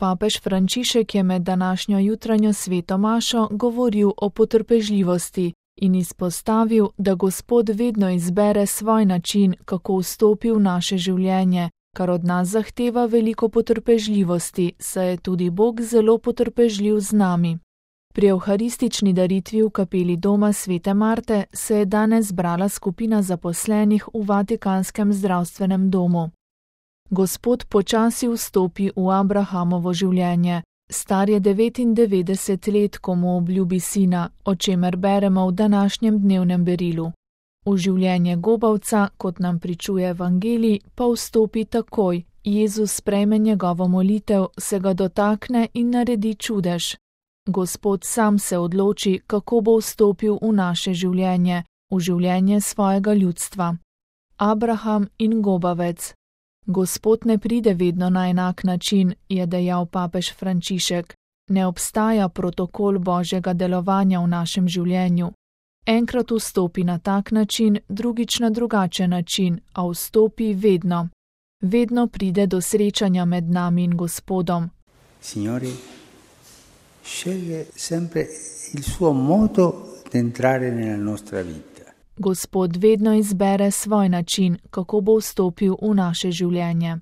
Papež Frančišek je med današnjo jutranjo sveto mašo govoril o potrpežljivosti in izpostavil, da Gospod vedno izbere svoj način, kako vstopi v naše življenje, kar od nas zahteva veliko potrpežljivosti, saj je tudi Bog zelo potrpežljiv z nami. Pri evharistični daritvi v kapeli doma svete Marte se je danes zbrala skupina zaposlenih v Vatikanskem zdravstvenem domu. Gospod počasi vstopi v Abrahamovo življenje. Star je 99 let, ko mu obljubi sina, o čemer beremo v današnjem dnevnem berilu. V življenje gobavca, kot nam pričuje Evangelij, pa vstopi takoj. Jezus sprejme njegovo molitev, se ga dotakne in naredi čudež. Gospod sam se odloči, kako bo vstopil v naše življenje, v življenje svojega ljudstva. Abraham in gobavec. Gospod ne pride vedno na enak način, je dejal papež Frančišek. Ne obstaja protokol Božjega delovanja v našem življenju. Enkrat vstopi na tak način, drugič na drugačen način, a vstopi vedno. Vedno pride do srečanja med nami in Gospodom. Signore, sceglie sempre il suo modo di entrare nella nostra vita. Gospod vedno izbere svoj način, kako bo vstopil v naše življenje.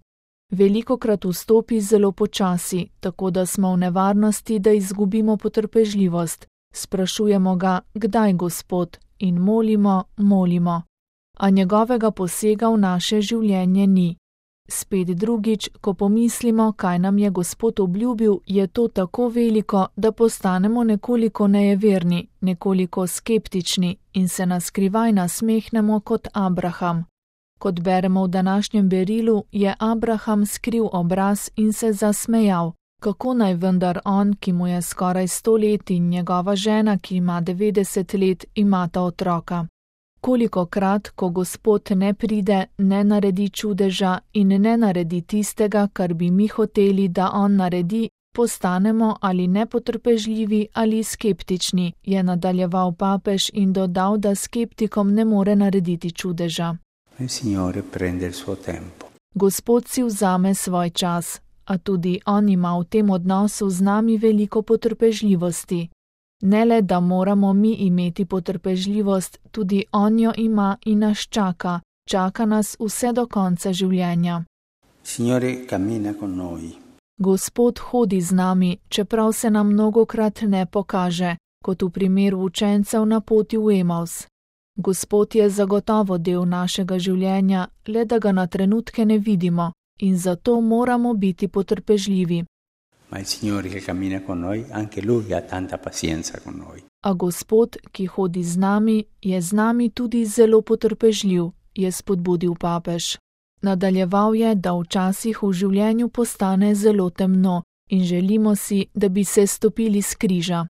Velikokrat vstopi zelo počasi, tako da smo v nevarnosti, da izgubimo potrpežljivost. Sprašujemo ga, kdaj Gospod, in molimo, a njegovega posega v naše življenje ni. Spet drugič, ko pomislimo, kaj nam je Gospod obljubil, je to tako veliko, da postanemo nekoliko nejeverni, nekoliko skeptični in se naskrivaj nasmehnemo kot Abraham. Kot beremo v današnjem berilu, je Abraham skril obraz in se zasmejal. Kako naj vendar on, ki mu je skoraj 100 let in njegova žena, ki ima 90 let, imata otroka? Kolikokrat, ko Gospod ne pride, ne naredi čudeža in ne naredi tistega, kar bi mi hoteli, da on naredi, postanemo ali nepotrpežljivi ali skeptični, je nadaljeval papež in dodal, da skeptikom ne more narediti čudeža. Gospod si vzame svoj čas, a tudi on ima v tem odnosu z nami veliko potrpežljivosti. Ne le, da moramo mi imeti potrpežljivost, tudi on jo ima in nas čaka. Čaka nas vse do konca življenja. Gospod hodi z nami, čeprav se nam mnogokrat ne pokaže, kot v primeru učencev na poti v Emaus. Gospod je zagotovo del našega življenja, le da ga na trenutke ne vidimo in zato moramo biti potrpežljivi. A Gospod, ki hodi z nami, je z nami tudi zelo potrpežljiv, je spodbudil papež. Nadaljeval je, da včasih v življenju postane zelo temno in želimo si, da bi se stopili s križa.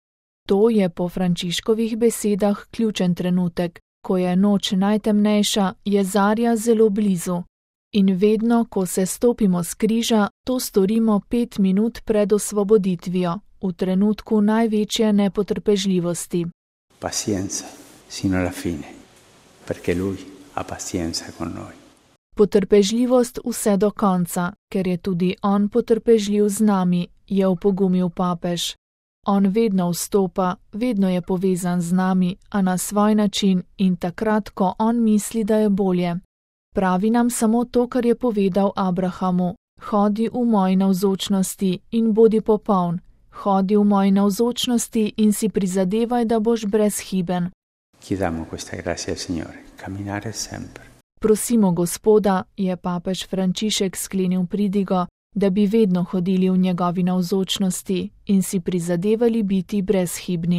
To je po Frančiškovih besedah ključen trenutek. Ko je noč najtemnejša, je zarja zelo blizu. In vedno, ko se stopimo s križa, to storimo 5 minut pred osvoboditvijo, v trenutku največje nepotrpežljivosti. Pazienza sino alla fine, perché lui ha pazienza con noi. Potrpežljivost vse do konca, ker je tudi on potrpežljiv z nami, je opogumil papež. On vedno vstopa, vedno je povezan z nami, a na svoj način in takrat, ko on misli, da je bolje. Pravi nam samo to, kar je povedal Abrahamu. Hodi v moji navzočnosti in bodi popoln. Hodi v moji navzočnosti in si prizadevaj, da boš brezhiben. Prosimo Gospoda, je papež Frančišek sklenil pridigo, da bi vedno hodili v njegovi navzočnosti in si prizadevali biti brezhibni.